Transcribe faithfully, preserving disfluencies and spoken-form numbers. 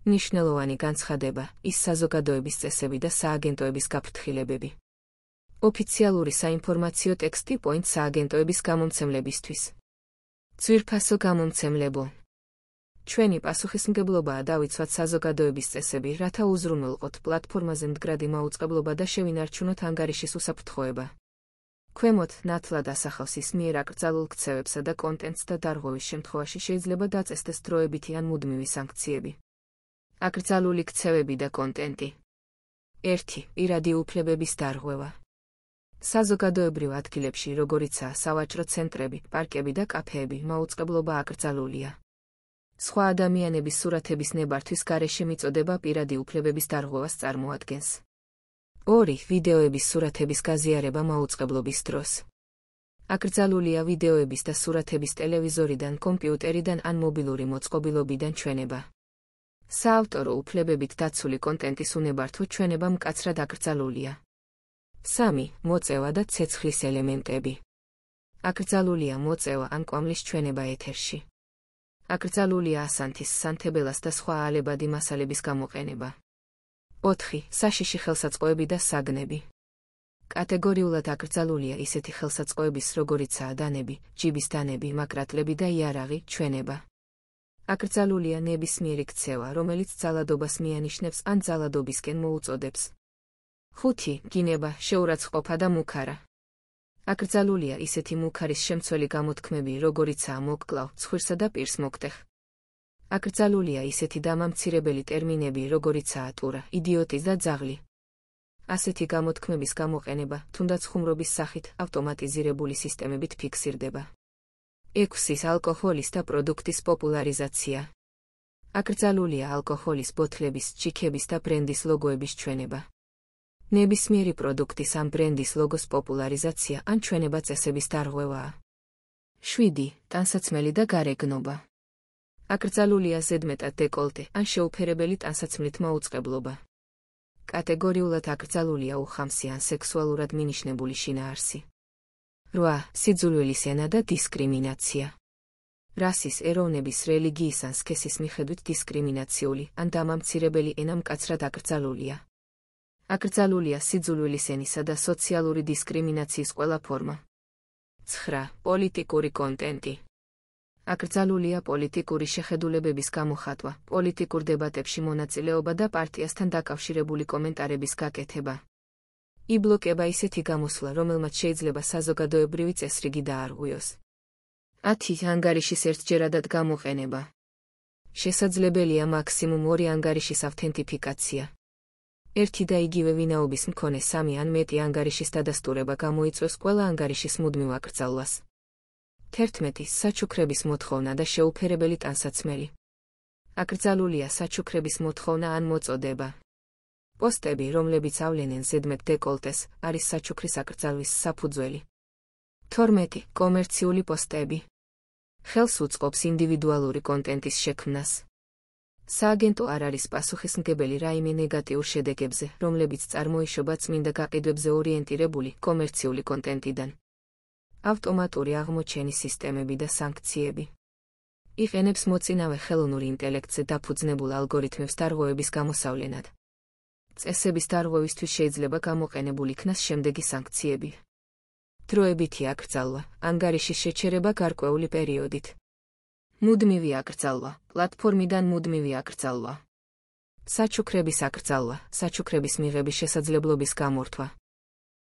მნიშვნელოვანი განცხადება, ის საზოგადოების წესები და სააგენტოების გაფრთხილებები. ოფიციალური საინფორმაციო ტექსტი პოინტ სააგენტოების გამომცემლებისთვის. ძვირფასო გამომცემლებო. ჩვენი პასუხისმგებლობაა დავიცვათ საზოგადოების წესები, რათა უზრუნველყოთ პლატფორმაზე მდგრადი მაუწყებლობა და შევინარჩუნოთ ანგარიშის უსაფრთხოება. ქვემოთ ნათლად ასახავს ის მიერ აკრძალულ ქცევებსა და კონტენტს და დარღვევის შემთხვევაში შეიძლება დაწესდეს დროებითი ან მუდმივი სანქციები. აკრძალული ქცევები და კონტენტი. ერთი. პირადი უფლებების დარღვევა. საზოგადოებრივ ადგილებში, როგორიცაა სავაჭრო ცენტრები, პარკები და კაფეები, მაუწყებლობა აკრძალულია. სხვა ადამიანების სურათების ნებართვის გარეშე მიწოდება პირადი უფლებების დარღვევას წარმოადგენს. ორი. ვიდეოების სურათების გაზიარება მაუწყებლობის დროს. აკრძალულია ვიდეოების და სურათების ტელევიზორიდან, კომპიუტერიდან ან მობილური მოწყობილობიდან ჩვენება. საავტორო უფლებებით დაცული კონტენტის უნებართვო ჩვენება მკაცრად აკრძალულია. სამი. მოწევა და ცეცხლის ელემენტები. აკრძალულია მოწევა ან კვამლის ჩვენება ეთერში. აკრძალულია ასანთის, სანთებელას და სხვა ალებადი მასალების გამოყენება. ოთხი. საშიში ხელსაწყოები და საგნები. კატეგორიულად აკრძალულია ისეთი ხელსაწყოების, როგორიცაა დანები, ჯიბის დანები, მაკრატლები და იარაღი, ჩვენება. აკრძალულია ნებისმიერი ქცევა, რომელიც ძალადობას მიანიშნებს ან ძალადობისკენ მოუწოდებს. ხუთი. გინება, შეურაცხყოფა და მუქარა. აკრძალულია ისეთი მუქარის შემცველი გამოთქმები, როგორიცაა მოკკლავ, ცხვირსა და პირს მოგტეხ. აკრძალულია ისეთი დამამცირებელი ტერმინები, როგორიცაა ტურა, იდიოტი და ძაღლი. ასეთი გამოთქმების გამოყენება, თუნდაც ხუმრობის სახით, ავტომატიზირებული სისტემებით ფიქსირდება. ექვსი. ალკოჰოლის და პროდუქტის პოპულარიზაცია. აკრძალულია ალკოჰოლის ბოთლების, ჩიქების და ბრენდის ლოგოების ჩვენება. ნებისმიერი პროდუქტის ამ ბრენდის ლოგოს პოპულარიზაცია ან ჩვენება წესების დარღვევაა. შვიდი. ტანსაცმელი და გარეგნობა. აკრძალულია ზედმეტად დეკოლტე ან შეუფერებელი ტანსაცმლით მაუწყებლობა. კატეგორიულად აკრძალულია უხამსი ან სექსუალურად მინიშნებული შინაარსი. რვა. სიძულვილის ენა და დისკრიმინაცია. რასის, ეროვნების, რელიგიის ან სქესის მიხედვით დისკრიმინაციული ან დამამცირებელი ენა მკაცრად აკრძალულია. აკრძალულია სიძულვილის ენისა და სოციალური დისკრიმინაციის ყველა ფორმა. ცხრა. პოლიტიკური კონტენტი. აკრძალულია პოლიტიკური შეხედულებების გამოხატვა, პოლიტიკურ დებატებში მონაწილეობა და პარტიასთან დაკავშირებული კომენტარების გაკეთება. იბლოკება ისეთი გამოსვლა, რომელმაც შეიძლება საზოგადოებრივი წესრიგი დაარღვიოს. ათი. ანგარიშის ერთჯერადად გამოყენება. შესაძლებელია მაქსიმუმ ორი ანგარიშის ავთენტიფიკაცია. ერთი და იგივე ვინაობის მქონე სამი ან მეტი ანგარიშის დადასტურება გამოიწვევს ყველა ანგარიშის მუდმივ აკრძალვას. თერთმეტი. საჩუქრების მოთხოვნა და შეუფერებელი ტანსაცმელი. აკრძალულია საჩუქრების მოთხოვნა ან მოწოდება. პოსტები, რომლებიც ავლენენ ზედმეტ დეკოლტეს, არის საჩუქრის აკრძალვის საფუძველი. თორმეტი. კომერციული პოსტები. ხელს უწყობს ინდივიდუალური კონტენტის შექმნას. სააგენტო არ არის პასუხისმგებელი რაიმე ნეგატიურ შედეგებზე, რომლებიც წარმოიშობა წმინდა გაყიდვებზე ორიენტირებული კომერციული კონტენტიდან. ავტომატური აღმოჩენის სისტემები და სანქციები. იყენებს მოწინავე ხელოვნურ ინტელექტზე დაფუძნებულ ალგორითმებს დარღვევების გამოსავლენად. წესების დარღვევისთვის შეიძლება გამოყენებულ იქნას შემდეგი სანქციები. დროებითი აკრძალვა, ანგარიშის შეჩერება გარკვეული პერიოდით. მუდმივი აკრძალვა, პლატფორმიდან მუდმივი აკრძალვა. საჩუქრების აკრძალვა, საჩუქრების მიღების შესაძლებლობის გამორთვა.